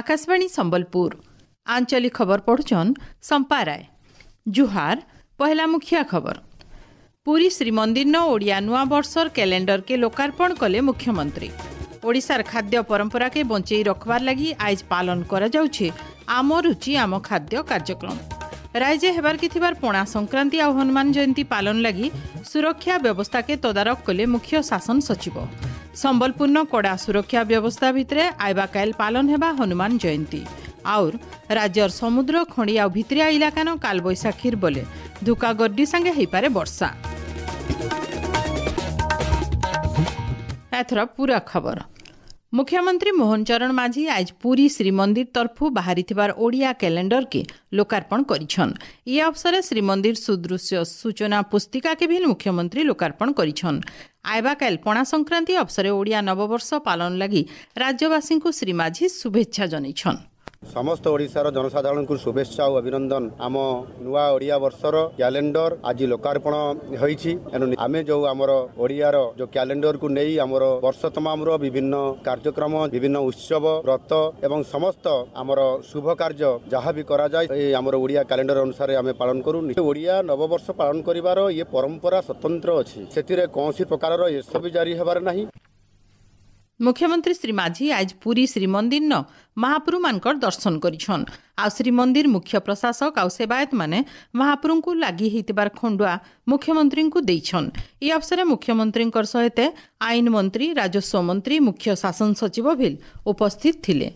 ଆକାଶବାଣୀ ସମ୍ବଲପୁର ଆଞ୍ଚଳିକ ଖବର ପଢୁଛନ୍ ସମ୍ପା ରାୟ। ଜୁହାର। ପହେଲା ମୁଖିଆ ଖବର। ପୁରୀ ଶ୍ରୀମନ୍ଦିର ଓଡ଼ିଆ ନୂଆ ବର୍ଷର କ୍ୟାଲେଣ୍ଡରକେ ଲୋକାର୍ପଣ କଲେ ମୁଖ୍ୟମନ୍ତ୍ରୀ। ଓଡ଼ିଶାର ଖାଦ୍ୟ ପରମ୍ପରାକେ ବଞ୍ଚେଇ ରଖବାର ଲାଗି ଆଇଜ ପାଳନ କରାଯାଉଛି ଆମ ରୁଚି ଆମ ଖାଦ୍ୟ କାର୍ଯ୍ୟକ୍ରମ। ରାଜ୍ୟ ହେବାର୍କେ ଥିବାର ପଣା ସଂକ୍ରାନ୍ତି ଆଉ ହନୁମାନ ଜୟନ୍ତୀ ପାଳନ ଲାଗି ସୁରକ୍ଷା ବ୍ୟବସ୍ଥାକେ ତଦାରଖ କଲେ ମୁଖ୍ୟ ଶାସନ ସଚିବ। ସମ୍ବଲପୁରନ କଡ଼ା ସୁରକ୍ଷା ବ୍ୟବସ୍ଥା ଭିତରେ ଆଇବାକାଇଲ ପାଳନ ହେବା ହନୁମାନ ଜୟନ୍ତୀ। ଆଉର୍ ରାଜ୍ୟର ସମୁଦ୍ର ଖଣି ଆଉ ଭିତରିଆ ଇଲାକାନ କାଲବୈଶାଖୀର ବଲେ ଧୁକା ଗଡ୍ଡି ସାଙ୍ଗେ ହେଇପାରେ ବର୍ଷା। ଏଥର ପୁରା ଖବର। ମୁଖ୍ୟମନ୍ତ୍ରୀ ମୋହନ ଚରଣ ମାଝୀ ଆଜ ପୁରୀ ଶ୍ରୀମନ୍ଦିର ତରଫୁ ବାହାରିଥିବାର ଓଡ଼ିଆ କ୍ୟାଲେଣ୍ଡରକେ ଲୋକାର୍ପଣ କରିଛନ୍। ଇ ଅବସରେ ଶ୍ରୀମନ୍ଦିର ସୁଦୃଶ୍ୟ ସୂଚନା ପୁସ୍ତିକାକେ ବି ମୁଖ୍ୟମନ୍ତ୍ରୀ ଲୋକାର୍ପଣ କରିଛନ୍। ଆଇବାକାଇଲ ପଣା ସଂକ୍ରାନ୍ତି ଅବସରେ ଓଡ଼ିଆ ନବବର୍ଷ ପାଳନ ଲାଗି ରାଜ୍ୟବାସୀଙ୍କୁ ଶ୍ରୀ ମାଝୀ ଶୁଭେଚ୍ଛା ଜଣାଇଛନ୍। ସମସ୍ତ ଓଡ଼ିଶାର ଜନସାଧାରଣଙ୍କୁ ଶୁଭେଚ୍ଛା ଓ ଅଭିନନ୍ଦନ। ଆମ ନୂଆ ଓଡ଼ିଆ ବର୍ଷର କ୍ୟାଲେଣ୍ଡର ଆଜି ଲୋକାର୍ପଣ ହୋଇଛି। ଏଣୁ ଆମେ ଯେଉଁ ଆମର ଓଡ଼ିଆର ଯେଉଁ କ୍ୟାଲେଣ୍ଡରକୁ ନେଇ ଆମର ବର୍ଷ ତମାମର ବିଭିନ୍ନ କାର୍ଯ୍ୟକ୍ରମ, ବିଭିନ୍ନ ଉତ୍ସବ, ବ୍ରତ ଏବଂ ସମସ୍ତ ଆମର ଶୁଭ କାର୍ଯ୍ୟ ଯାହା ବି କରାଯାଏ, ଏ ଆମର ଓଡ଼ିଆ କ୍ୟାଲେଣ୍ଡର ଅନୁସାରେ ଆମେ ପାଳନ କରୁ। ଓଡ଼ିଆ ନବବର୍ଷ ପାଳନ କରିବାର ଇଏ ପରମ୍ପରା ସ୍ୱତନ୍ତ୍ର ଅଛି, ସେଥିରେ କୌଣସି ପ୍ରକାରର ଏସବୁ ଜାରି ହେବାର ନାହିଁ। ମୁଖ୍ୟମନ୍ତ୍ରୀ ଶ୍ରୀ ମାଝୀ ଆଜ ପୁରୀ ଶ୍ରୀମନ୍ଦିର ମହାପ୍ରଭୁମାନଙ୍କର ଦର୍ଶନ କରିଛନ୍। ଆଉ ଶ୍ରୀମନ୍ଦିର ମୁଖ୍ୟ ପ୍ରଶାସକ ଆଉ ସେବାୟତମାନେ ମହାପ୍ରଭୁଙ୍କୁ ଲାଗି ହେଇଥିବାର ଖଣ୍ଡୁଆ ମୁଖ୍ୟମନ୍ତ୍ରୀଙ୍କୁ ଦେଇଛନ୍। ଏହି ଅବସରେ ମୁଖ୍ୟମନ୍ତ୍ରୀଙ୍କର ସହିତ ଆଇନ ମନ୍ତ୍ରୀ, ରାଜସ୍ୱ ମନ୍ତ୍ରୀ, ମୁଖ୍ୟ ଶାସନ ସଚିବ ଭିଲ ଉପସ୍ଥିତ ଥିଲେ।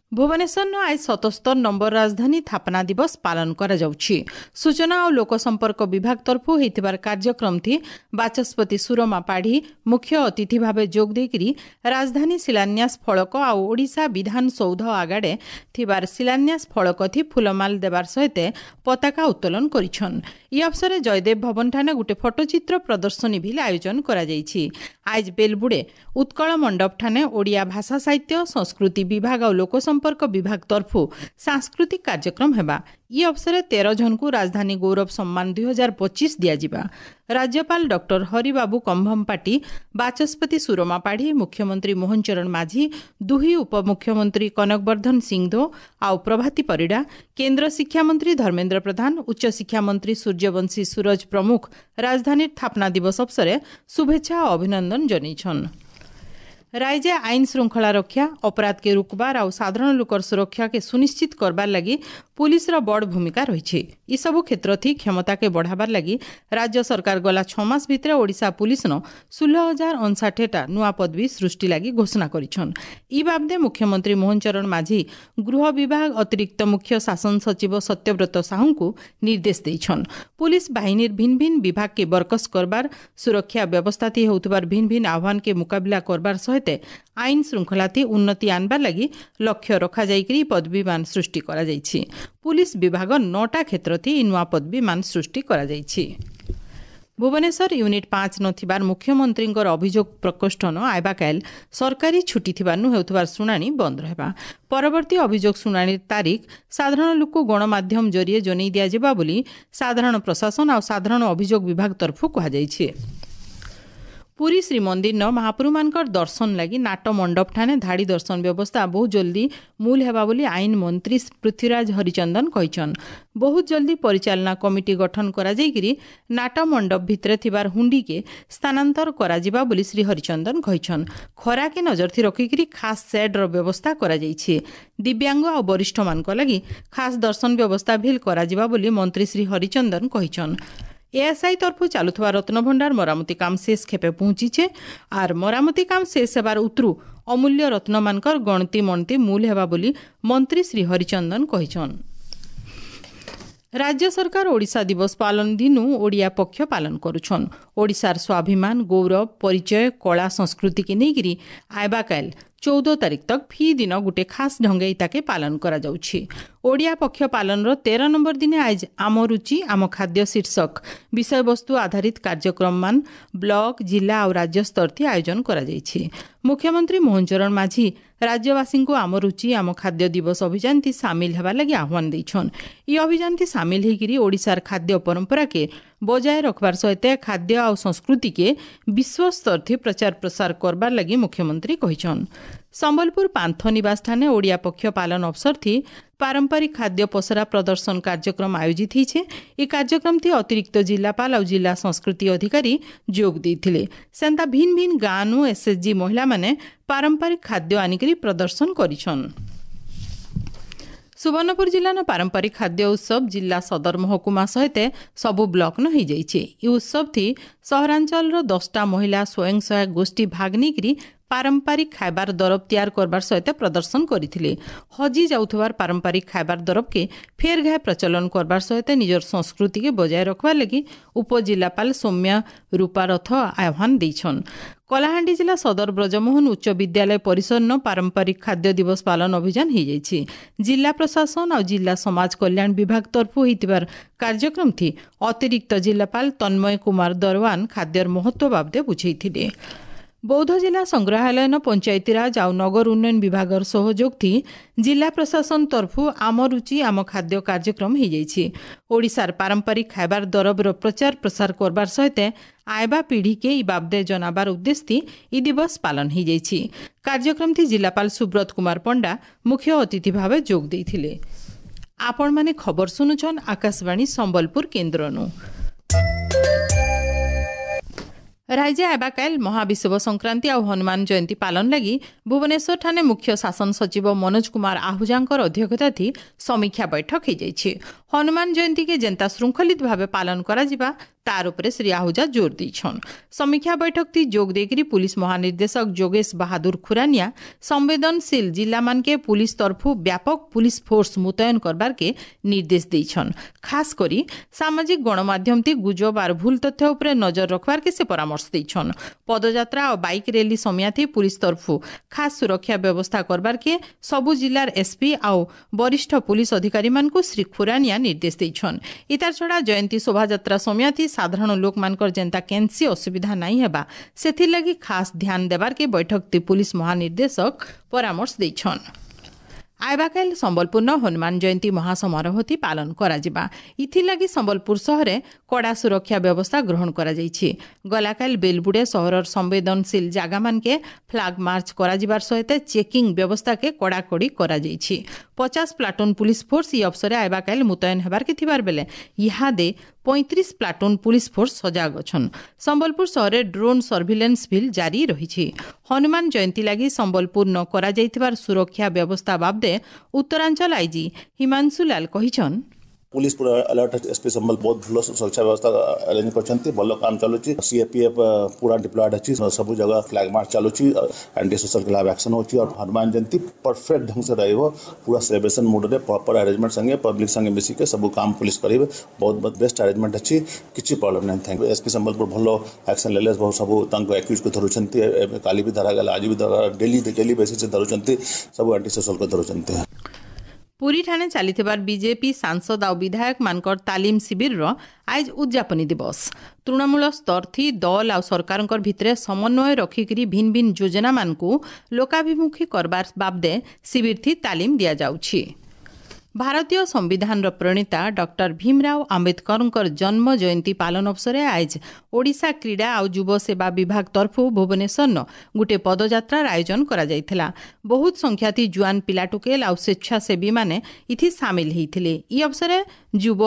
ଭୁବନେଶ୍ୱରନ ଆজ 77 ନମ୍ବର ରାଜଧାନୀ ସ୍ଥାପନା ଦିବସ ପାଳନ କରାଯାଉଛି। ସୂଚନା ଓ ଲୋକସମ୍ପର୍କ ବିଭାଗ ତରଫୁ ହେଇଥିବାର କାର୍ଯ୍ୟକ୍ରମଥି ବାଚସ୍ପତି ସୁରମା ପାଢ଼ୀ ମୁଖ୍ୟ ଅତିଥି ଭାବେ ଯୋଗ ଦେଇକରି ରାଜଧାନୀ ଶିଳାନ୍ୟାସ ଫଳକ ଆଉ ଓଡ଼ିଶା ବିଧାନସୌଧ ଆଗାଡ଼େ ଥିବାର ଶିଳାନ୍ୟାସ ଫଳକଥି ଫୁଲମାଲ ଦେବାର ସହିତ ପତାକା ଉତ୍ତୋଳନ କରିଛନ୍। ଇ ଅବସରେ ଜୟଦେବ ଭବନଠାନେ ଗୋଟେ ଫଟୋଚିତ୍ର ପ୍ରଦର୍ଶନୀ ବି ଆୟୋଜନ କରାଯାଇଛି। ଆଜ ବେଲବୁଡ଼େ ଉତ୍କଳ ମଣ୍ଡପଠାନେ ଓଡ଼ିଆ ଭାଷା ସାହିତ୍ୟ ସଂସ୍କୃତି ବିଭାଗ ଆଉ ଲୋକସମ୍ପର୍କ ବିଭାଗ ତରଫୁ ସାଂସ୍କୃତିକ କାର୍ଯ୍ୟକ୍ରମ ହେବା। ଇ ଅବସରେ 13 ଜଣଙ୍କୁ ରାଜଧାନୀ ଗୌରବ ସମ୍ମାନ 2025 ଦିଆଯିବା। ରାଜ୍ୟପାଳ ଡକ୍ଟର ହରିବାବୁ କମ୍ଭମପାଟି, ବାଚସ୍ପତି ସୁରମା ପାଢ଼ୀ, ମୁଖ୍ୟମନ୍ତ୍ରୀ ମୋହନ ଚରଣ ମାଝୀ, ଦୁହି ଉପମୁଖ୍ୟମନ୍ତ୍ରୀ କନକବର୍ଦ୍ଧନ ସିଂଦେଓ ଆଉ ପ୍ରଭାତୀ ପରିଡ଼ା, କେନ୍ଦ୍ର ଶିକ୍ଷାମନ୍ତ୍ରୀ ଧର୍ମେନ୍ଦ୍ର ପ୍ରଧାନ, ଉଚ୍ଚଶିକ୍ଷା ମନ୍ତ୍ରୀ ସୂର୍ଯ୍ୟବଂଶୀ ସୂରଜ ପ୍ରମୁଖ ରାଜଧାନୀ ସ୍ଥାପନା ଦିବସ ଅବସରେ ଶୁଭେଚ୍ଛା ଓ ଅଭିନନ୍ଦନ ଜଣାଇଛନ୍। ରାଜ୍ୟ ଆଇନ ଶୃଙ୍ଖଳା ରକ୍ଷା, ଅପରାଧକେ ରୋକବାର ଆଉ ସାଧାରଣ ଲୋକର ସୁରକ୍ଷାକେ ସୁନିଶ୍ଚିତ କରବାର ଲାଗି ପୁଲିସର ବଡ଼ ଭୂମିକା ରହିଛି। ଏସବୁ କ୍ଷେତ୍ରଥି କ୍ଷମତାକେ ବଢ଼ାବାର ଲାଗି ରାଜ୍ୟ ସରକାର ଗଲା 6 ମାସ ଭିତରେ ଓଡ଼ିଶା ପୁଲିସନ 16,059ଟା ନୂଆ ପଦବୀ ସୃଷ୍ଟି ଲାଗି ଘୋଷଣା କରିଛନ୍। ଇ ବାବଦେ ମୁଖ୍ୟମନ୍ତ୍ରୀ ମୋହନ ଚରଣ ମାଝୀ ଗୃହ ବିଭାଗ ଅତିରିକ୍ତ ମୁଖ୍ୟ ଶାସନ ସଚିବ ସତ୍ୟବ୍ରତ ସାହୁଙ୍କୁ ନିର୍ଦ୍ଦେଶ ଦେଇଛନ୍। ପୁଲିସ ବାହିନୀର ଭିନ୍ନ ଭିନ୍ନ ବିଭାଗକେ ବରକସ କରବାର, ସୁରକ୍ଷା ବ୍ୟବସ୍ଥାଥି ହେଉଥିବାର ଭିନ୍ନ ଭିନ୍ନ ଆହ୍ୱାନକେ ମୁକାବିଲା କରବାର ସହିତ ଆଇନ ଶୃଙ୍ଖଳାଥି ଉନ୍ନତି ଆନବାର ଲାଗି ଲକ୍ଷ୍ୟ ରଖାଯାଇକରି ପଦବୀମାନ ସୃଷ୍ଟି କରାଯାଇଛି। ପୁଲିସ ବିଭାଗ 9ଟା କ୍ଷେତ୍ରଥି ନୂଆ ପଦବୀମାନ ସୃଷ୍ଟି କରାଯାଇଛି। ଭୁବନେଶ୍ୱର ୟୁନିଟ୍ 5 ନଥିବାର ମୁଖ୍ୟମନ୍ତ୍ରୀଙ୍କର ଅଭିଯୋଗ ପ୍ରକୋଷ୍ଠନ ଆଇବାକାଇଲ ସରକାରୀ ଛୁଟି ଥିବାରୁ ହେଉଥିବାର ଶୁଣାଣି ବନ୍ଦ ରହିବା। ପରବର୍ତ୍ତୀ ଅଭିଯୋଗ ଶୁଣାଣିର ତାରିଖ ସାଧାରଣ ଲୋକ ଗଣମାଧ୍ୟମ ଜରିଏ ଜଣାଇ ଦିଆଯିବା ବୋଲି ସାଧାରଣ ପ୍ରଶାସନ ଆଉ ସାଧାରଣ ଅଭିଯୋଗ ବିଭାଗ ତରଫରୁ କୁହାଯାଇଛି। ପୁରୀ ଶ୍ରୀମନ୍ଦିର ମହାପ୍ରଭୁମାନଙ୍କର ଦର୍ଶନ ଲାଗି ନାଟ ମଣ୍ଡପଠାନେ ଧାଡ଼ି ଦର୍ଶନ ବ୍ୟବସ୍ଥା ବହୁତ ଜଲ୍ଦି ମୂଲ ହେବା ବୋଲି ଆଇନ ମନ୍ତ୍ରୀ ପୃଥ୍ୱୀରାଜ ହରିଚନ୍ଦନ କହିଛନ୍। ବହୁତ ଜଲ୍ଦି ପରିଚାଳନା କମିଟି ଗଠନ କରାଯାଇକରି ନାଟ ମଣ୍ଡପ ଭିତରେ ଥିବାର ହୁଣ୍ଡିକେ ସ୍ଥାନାନ୍ତର କରାଯିବା ବୋଲି ଶ୍ରୀ ହରିଚନ୍ଦନ କହିଛନ୍। ଖରାକେ ନଜରଥି ରଖିକରି ଖାସ୍ ସେଡ୍ର ବ୍ୟବସ୍ଥା କରାଯାଇଛି। ଦିବ୍ୟାଙ୍ଗ ଆଉ ବରିଷ୍ଠମାନଙ୍କ ଲାଗି ଖାସ୍ ଦର୍ଶନ ବ୍ୟବସ୍ଥା ଭିଲ୍ କରାଯିବା ବୋଲି ମନ୍ତ୍ରୀ ଶ୍ରୀ ହରିଚନ୍ଦନ କହିଛନ୍। ଏଏସ୍ଆଇ ତରଫୁ ଚାଲୁଥିବା ରତ୍ନଭଣ୍ଡାର ମରାମତି କାମ ଶେଷ ଖେପେ ପହଞ୍ଚିଛେ। ଆର୍ ମରାମତି କାମ ଶେଷ ହେବାର ଉତରୁ ଅମୂଲ୍ୟ ରତ୍ନମାନଙ୍କର ଗଣତି ମଣତି ମୂଲ ହେବା ବୋଲି ମନ୍ତ୍ରୀ ଶ୍ରୀ ହରିଚନ୍ଦନ କହିଛନ୍। ରାଜ୍ୟ ସରକାର ଓଡ଼ିଶା ଦିବସ ପାଳନ ଦିନୁ ଓଡ଼ିଆ ପକ୍ଷ ପାଳନ କରୁଛନ୍। ଓଡ଼ିଶାର ସ୍ୱାଭିମାନ, ଗୌରବ, ପରିଚୟ, କଳା, ସଂସ୍କୃତିକେ ନେଇକରି ଆଇବାକାଇଲ 14 ତାରିଖ ତକ ଫି ଦିନ ଗୋଟେ ଖାସ୍ ଢଙ୍ଗେ ତାକେ ପାଳନ କରାଯାଉଛି। ଓଡ଼ିଆ ପକ୍ଷ ପାଳନର 13 ନମ୍ବର ଦିନେ ଆଜ ଆମ ରୁଚି ଆମ ଖାଦ୍ୟ ଶୀର୍ଷକ ବିଷୟବସ୍ତୁ ଆଧାରିତ କାର୍ଯ୍ୟକ୍ରମମାନ ବ୍ଲକ, ଜିଲ୍ଲା ଆଉ ରାଜ୍ୟ ସ୍ତରଥି ଆୟୋଜନ କରାଯାଇଛି। ମୁଖ୍ୟମନ୍ତ୍ରୀ ମୋହନ ଚରଣ ମାଝୀ ରାଜ୍ୟବାସୀଙ୍କୁ ଆମ ରୁଚି ଆମ ଖାଦ୍ୟ ଦିବସ ଅଭିଯାନଥି ସାମିଲ ହେବା ଲାଗି ଆହ୍ୱାନ ଦେଇଛନ୍। ଇ ଅଭିଯାନଥି ସାମିଲ ହେଇକିରି ଓଡ଼ିଶାର ଖାଦ୍ୟ ପରମ୍ପରାକେ ବଜାୟ ରଖବାର ସହିତ ଖାଦ୍ୟ ଆଉ ସଂସ୍କୃତିକେ ବିଶ୍ୱସ୍ତରଥି ପ୍ରଚାର ପ୍ରସାର କରବାର ଲାଗି ମୁଖ୍ୟମନ୍ତ୍ରୀ କହିଛନ୍। ସମ୍ବଲପୁର ପାନ୍ଥ ନିବାସଠାନେ ଓଡ଼ିଆ ପକ୍ଷ ପାଳନ ଅବସରଥି ପାରମ୍ପରିକ ଖାଦ୍ୟ ପସରା ପ୍ରଦର୍ଶନ କାର୍ଯ୍ୟକ୍ରମ ଆୟୋଜିତ ହେଇଛେ। ଏ କାର୍ଯ୍ୟକ୍ରମଥି ଅତିରିକ୍ତ ଜିଲ୍ଲାପାଳ ଆଉ ଜିଲ୍ଲା ସଂସ୍କୃତି ଅଧିକାରୀ ଯୋଗ ଦେଇଥିଲେ। ସେନ୍ତା ଭିନ୍ ଭିନ୍ ଗାଁନୁ ଏସ୍ଏଚ୍ଜି ମହିଳାମାନେ ପାରମ୍ପରିକ ଖାଦ୍ୟ ଆନିକରି ପ୍ରଦର୍ଶନ କରିଛନ୍। ସୁବର୍ଣ୍ଣପୁର ଜିଲ୍ଲାର ପାରମ୍ପରିକ ଖାଦ୍ୟ ଉତ୍ସବ ଜିଲ୍ଲା ସଦର ମହକୁମା ସହିତ ସବୁ ବ୍ଲକନ ହୋଇଯାଇଛି। ଏହି ଉତ୍ସବଥି ସହରାଞ୍ଚଳର 10ଟା ମହିଳା ସ୍ୱୟଂ ସହାୟକ ଗୋଷ୍ଠୀ ଭାଗ ନେଇକରି ପାରମ୍ପରିକ ଖାଇବାର ଦରବ ତିଆର କରବାର ସହିତ ପ୍ରଦର୍ଶନ କରିଥିଲେ। ହଜି ଯାଉଥିବାର ପାରମ୍ପରିକ ଖାଇବାର ଦରବକେ ଫେର ଘାଏ ପ୍ରଚଳନ କରବାର ସହିତ ନିଜର ସଂସ୍କୃତିକେ ବଜାୟ ରଖବାର ଲାଗି ଉପଜିଲ୍ଲାପାଳ ସୌମ୍ୟ ରୂପା ରଥ ଆହ୍ୱାନ ଦେଇଛନ୍। କଳାହାଣ୍ଡି ଜିଲ୍ଲା ସଦର ବ୍ରଜମୋହନ ଉଚ୍ଚ ବିଦ୍ୟାଳୟ ପରିସରନ ପାରମ୍ପରିକ ଖାଦ୍ୟ ଦିବସ ପାଳନ ଅଭିଯାନ ହୋଇଯାଇଛି। ଜିଲ୍ଲା ପ୍ରଶାସନ ଆଉ ଜିଲ୍ଲା ସମାଜ କଲ୍ୟାଣ ବିଭାଗ ତରଫରୁ ହୋଇଥିବାର କାର୍ଯ୍ୟକ୍ରମଥି ଅତିରିକ୍ତ ଜିଲ୍ଲାପାଳ ତନ୍ମୟ କୁମାର ଦରୱାନ ଖାଦ୍ୟର ମହତ୍ତ୍ୱ ବାବଦେ ବୁଝେଇଥିଲେ। ବୌଦ୍ଧ ଜିଲ୍ଲା ସଂଗ୍ରହାଳୟନ ପଞ୍ଚାୟତିରାଜ ଆଉ ନଗର ଉନ୍ନୟନ ବିଭାଗର ସହଯୋଗଥି ଜିଲ୍ଲା ପ୍ରଶାସନ ତରଫରୁ ଆମ ରୁଚି ଆମ ଖାଦ୍ୟ କାର୍ଯ୍ୟକ୍ରମ ହୋଇଯାଇଛି। ଓଡ଼ିଶାର ପାରମ୍ପରିକ ଖାଇବାର ଦରବର ପ୍ରଚାର ପ୍ରସାର କରବାର ସହିତ ଆଇବା ପିଢ଼ିକେ ଇ ବାବଦେ ଜନାବାର ଉଦ୍ଦେଶ୍ୟ ଇ ଦିବସ ପାଳନ ହୋଇଯାଇଛି। କାର୍ଯ୍ୟକ୍ରମଥି ଜିଲ୍ଲାପାଳ ସୁବ୍ରତ କୁମାର ପଣ୍ଡା ମୁଖ୍ୟ ଅତିଥି ଭାବେ ଯୋଗ ଦେଇଥିଲେ। ଆପଣମାନେ ଖବର ଶୁଣୁଛନ୍ ଆକାଶବାଣୀ ସମ୍ବଲପୁର କେନ୍ଦ୍ରନୁ। ରାଜ୍ୟ ଆବାକାଇଲ ମହାବିଷୁବ ସଂକ୍ରାନ୍ତି ଆଉ ହନୁମାନ ଜୟନ୍ତୀ ପାଳନ ଲାଗି ଭୁବନେଶ୍ୱରଠାରେ ମୁଖ୍ୟ ଶାସନ ସଚିବ ମନୋଜ କୁମାର ଆହୁଜାଙ୍କର ଅଧ୍ୟକ୍ଷତାଥି ସମୀକ୍ଷା ବୈଠକ ହୋଇଯାଇଛି। ହନୁମାନ ଜୟନ୍ତୀକେ ଯେନ୍ତା ଶୃଙ୍ଖଳିତ ଭାବେ ପାଳନ କରାଯିବା ତାର ଉପରେ ଶ୍ରୀ ଆହୁଜା ଜୋର ଦେଇଛନ୍। ସମୀକ୍ଷା ବୈଠକଥି ଯୋଗ ଦେଇକରି ପୁଲିସ ମହାନିର୍ଦ୍ଦେଶକ ଯୋଗେଶ ବାହାଦୁର ଖୁରାନିଆ ସମ୍ବେଦନଶୀଳ ଜିଲ୍ଲାମାନକେ ପୁଲିସ ତରଫୁ ବ୍ୟାପକ ପୁଲିସ ଫୋର୍ସ ମୁତୟନ କରବାରକେ ନିର୍ଦ୍ଦେଶ ଦେଇଛନ୍। ଖାସ କରି ସାମାଜିକ ଗଣମାଧ୍ୟମଥି ଗୁଜବ ଆର୍ ଭୁଲ ତଥ୍ୟ ଉପରେ ନଜର ରଖବାରକେ ସେ ପରାମର୍ଶ ଦେଇଛନ୍। ପଦଯାତ୍ରା ଆଉ ବାଇକ୍ ରେଲି ସମିୟାଥି ପୁଲିସ ତରଫୁ ଖାସ ସୁରକ୍ଷା ବ୍ୟବସ୍ଥା କରବାରକେ ସବୁ ଜିଲ୍ଲାର ଏସ୍ପି ଆଉ ବରିଷ୍ଠ ପୁଲିସ ଅଧିକାରୀମାନଙ୍କୁ ଶ୍ରୀ ଖୁରାନିଆ ନିର୍ଦ୍ଦେଶ ଦେଇଛନ୍। ଇତାର ଛଡ଼ା ଜୟନ୍ତୀ ଶୋଭାଯାତ୍ରା ସମିୟାଥି ସାଧାରଣ ଲୋକମାନଙ୍କର ଯେନ୍ତା କେନ୍ସି ଅସୁବିଧା ନାଇଁ ହେବା ସେଥିର୍ଲାଗି ଖାସ ଧ୍ୟାନ ଦେବାରକେ ବୈଠକଥି ପୁଲିସ ମହାନିର୍ଦ୍ଦେଶକ ପରାମର୍ଶ ଦେଇଛନ୍। ଆଇବାକାଇଲ ସମ୍ବଲପୁରନ ହନୁମାନ ଜୟନ୍ତୀ ମହାସମାରୋହତି ପାଳନ କରାଯିବା। ଇଥିର୍ଲାଗି ସମ୍ବଲପୁର ସହରେ କଡ଼ା ସୁରକ୍ଷା ବ୍ୟବସ୍ଥା ଗ୍ରହଣ କରାଯାଇଛି। ଗଲାକାଲ ବେଲବୁଡ଼େ ସହରର ସମ୍ବେଦନଶୀଳ ଜାଗାମାନକେ ଫ୍ଲାଗ ମାର୍ଚ୍ଚ କରାଯିବାର ସହିତ ଚେକିଂ ବ୍ୟବସ୍ଥାକେ କଡ଼ାକଡ଼ି କରାଯାଇଛି। 50 ପ୍ଲାଟୁନ ପୁଲିସ ଫୋର୍ସ ଇ ଅବସରେ ଆଇବାକାଇଲ ମୁତୟନ ହେବାରକେ ଥିବାର ବେଲେ ଇହାଦେ 35 ପ୍ଲାଟୁନ ପୁଲିସ ଫୋର୍ସ ସଜାଗ ଅଛନ୍। ସମ୍ବଲପୁର ସହରରେ ଡ୍ରୋନ୍ ସର୍ଭିଲାନ୍ସ ବିଲ୍ ଜାରି ରହିଛି। ହନୁମାନ ଜୟନ୍ତୀ ଲାଗି ସମ୍ବଲପୁର ନ କରାଯାଇଥିବାର ସୁରକ୍ଷା ବ୍ୟବସ୍ଥା ବାବଦେ ଉତ୍ତରାଞ୍ଚଳ ଆଇଜି ହିମାଂଶୁ ଲାଲ କହିଛନ୍, ପୁଲିସ ପୁରା ଆଲର୍ଟ ଅଛି। ଏସ୍ପି ସମ୍ବଲ ବହୁତ ଭଲ ସୁରକ୍ଷା ବ୍ୟବସ୍ଥା ଆରେଞ୍ଜ କରିଛନ୍ତି, ଭଲ କାମ ଚାଲୁଛି। ସିଏପିଏଫ୍ ପୁରା ଡିପ୍ଲଏଡ୍ ଅଛି, ସବୁ ଜାଗା ଫ୍ଲାଗ ମାର୍ଚ୍ଚ ଚାଲୁଛି, ଆଣ୍ଟି ସୋଶାଲ ଖିଲାଫ ଆକ୍ସନ ହେଉଛି। ଆଉ ହନୁମାନ ଜୟନ୍ତୀ ପରଫେକ୍ଟ ଢଙ୍ଗ ସେ ରହିବ, ପୁରା ସେଲିବ୍ରେସନ ମୁଡରେ ପ୍ରପର ଆରେଞ୍ଜମେଣ୍ଟ ସାଙ୍ଗେ ପବ୍ଲିକ ସାଙ୍ଗେ ମିଶିକି ସବୁ କାମ ପୁଲିସ କରିବେ। ବହୁତ ବହୁତ ବେଷ୍ଟ ଆରେଞ୍ଜମେଣ୍ଟ ଅଛି, କିଛି ପ୍ରୋବ୍ଲେମ୍ ନାହିଁ। Thank you. SP Sambalpur ଭଲ ଆକ୍ସନ ନେଲେ, ସବୁ ତାଙ୍କ ଆକ୍ୟୁଜକୁ ଧରୁଛନ୍ତି। ଏବେ କାଲି ବି ଧରାଗଲା, ଆଜି ବି ଧରା, ଡେଲି ଡେଲି ବେସିସ୍ରେ ଧରୁଛନ୍ତି, ସବୁ ଆଣ୍ଟି ସୋଶାଲକୁ ଧରୁଛନ୍ତି। ପୁରୀଠାନେ ଚାଲିଥିବାର ବିଜେପି ସାଂସଦ ଆଉ ବିଧାୟକମାନଙ୍କର ତାଲିମ ଶିବିରର ଆଇଜ ଉଦଯାପନୀ ଦିବସ। ତୃଣମୂଳ ସ୍ତରଥି ଦଲ ଆଉ ସରକାରଙ୍କର ଭିତରେ ସମନ୍ୱୟ ରଖିକରି ଭିନ୍ ଭିନ୍ ଯୋଜନାମାନଙ୍କୁ ଲୋକାଭିମୁଖୀ କରବାର ବାବଦେ ଶିବିରଥି ତାଲିମ ଦିଆଯାଉଛି। ଭାରତୀୟ ସମ୍ବିଧାନର ପ୍ରଣେତା ଡକ୍ଟର ଭୀମରାଓ ଆମ୍ବେଦକରଙ୍କର ଜନ୍ମ ଜୟନ୍ତୀ ପାଳନ ଅବସରେ ଆଇଜ ଓଡ଼ିଶା କ୍ରୀଡ଼ା ଆଉ ଯୁବ ସେବା ବିଭାଗ ତରଫରୁ ଭୁବନେଶ୍ୱରନ ଗୋଟିଏ ପଦଯାତ୍ରାର ଆୟୋଜନ କରାଯାଇଥିଲା। ବହୁତ ସଂଖ୍ୟାଥି ଜୁଆନ ପିଲାଟୁକେଲ ଆଉ ସ୍ୱେଚ୍ଛାସେବୀମାନେ ଇଥି ସାମିଲ ହେଇଥିଲେ। ଇ ଅବସରେ ଯୁବ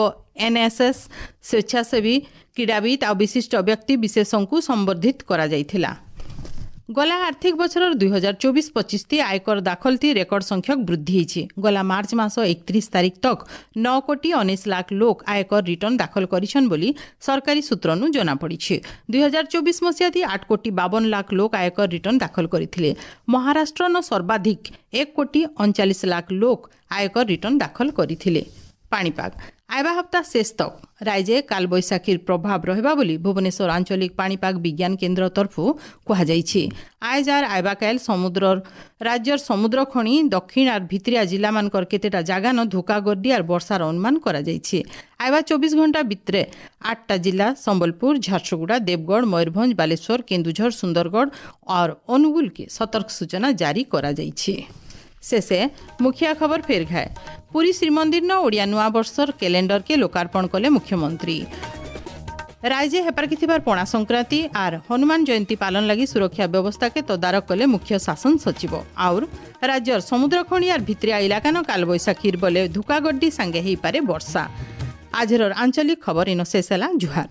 ଏନ୍ଏସ୍ଏସ୍ ସ୍ୱେଚ୍ଛାସେବୀ, କ୍ରୀଡ଼ାବିତ୍ ଆଉ ବିଶିଷ୍ଟ ବ୍ୟକ୍ତି ବିଶେଷଙ୍କୁ ସମ୍ବର୍ଦ୍ଧିତ କରାଯାଇଥିଲା। ଗଲା ଆର୍ଥିକ ବଛରର 2024-25 ଆୟକର ଦାଖଲଥି ରେକର୍ଡ ସଂଖ୍ୟକ ବୃଦ୍ଧି ହେଇଛି। ଗଲା ମାର୍ଚ୍ଚ ମାସ 31 ତାରିଖ ତକ 9 କୋଟି 19 ଲାଖ ଲୋକ ଆୟକର ରିଟର୍ଣ୍ଣ ଦାଖଲ କରିଛନ୍ ବୋଲି ସରକାରୀ ସୂତ୍ରନୁ ଜଣାପଡ଼ିଛି। 2024 ମସିହାଥି 8 କୋଟି 52 ଲାଖ ଲୋକ ଆୟକର ରିଟର୍ଣ୍ଣ ଦାଖଲ କରିଥିଲେ। ମହାରାଷ୍ଟ୍ରନ ସର୍ବାଧିକ 1 କୋଟି 39 ଲାଖ ଲୋକ ଆୟକର ରିଟର୍ଣ୍ଣ ଦାଖଲ କରିଥିଲେ। ପାଣିପାଗ ଆଇବା ହପ୍ତା ଶେଷ ତକ ରାଜ୍ୟ କାଲବୈଶାଖୀର ପ୍ରଭାବ ରହିବା ବୋଲି ଭୁବନେଶ୍ୱର ଆଞ୍ଚଳିକ ପାଣିପାଗ ବିଜ୍ଞାନ କେନ୍ଦ୍ର ତରଫରୁ କୁହାଯାଇଛି। ଆଇଜାର ଆଇବାକାଇଲ ସମୁଦ୍ର ରାଜ୍ୟର ସମୁଦ୍ର ଖଣି ଦକ୍ଷିଣ ଆର୍ ଭିତିରିଆ ଜିଲ୍ଲାମାନଙ୍କର କେତେଟା ଜାଗାନ ଧୋକା ଗର୍ଡି ଆର୍ ବର୍ଷାର ଅନୁମାନ କରାଯାଇଛି। ଆଇବା 24 ଘଣ୍ଟା ଭିତରେ 8ଟା ଜିଲ୍ଲା ସମ୍ବଲପୁର, ଝାରସୁଗୁଡ଼ା, ଦେବଗଡ଼, ମୟୂରଭଞ୍ଜ, ବାଲେଶ୍ୱର, କେନ୍ଦୁଝର, ସୁନ୍ଦରଗଡ଼ और ଅନୁଗୁଳକେ ସତର୍କ ସୂଚନା ଜାରି କରାଯାଇଛି। शेषे मुखिया खबर फेर घाए। पुरी श्रीमंदिर न ओडिया नुआ वर्षर कैलेंडर के लोकार्पण कले मुख्यमंत्री। ରାଜ୍ୟ ହେପାରକି ଥିବାର ପଣା ସଂକ୍ରାନ୍ତି ଆର୍ ହନୁମାନ ଜୟନ୍ତୀ ପାଲନ ଲାଗି ସୁରକ୍ଷା ବ୍ୟବସ୍ଥାକେ ତଦାରଖ କଲେ ମୁଖ୍ୟ ଶାସନ ସଚିବ। ଆଉର ରାଜ୍ୟର ସମୁଦ୍ର ଖଣି ଆର୍ ଭିତରିଆ ଇଲାକାନ କାଲବୈଶାଖୀର ବଲେ ଧୁକାଗड्डी ସାଙ୍ଗେ ହେଇପାରେ ବର୍ଷା। ଆଜିର ଆଞ୍ଚଳିକ ଖବର ଇନ ଶେଷ ହେଲା। ଜୁହାର।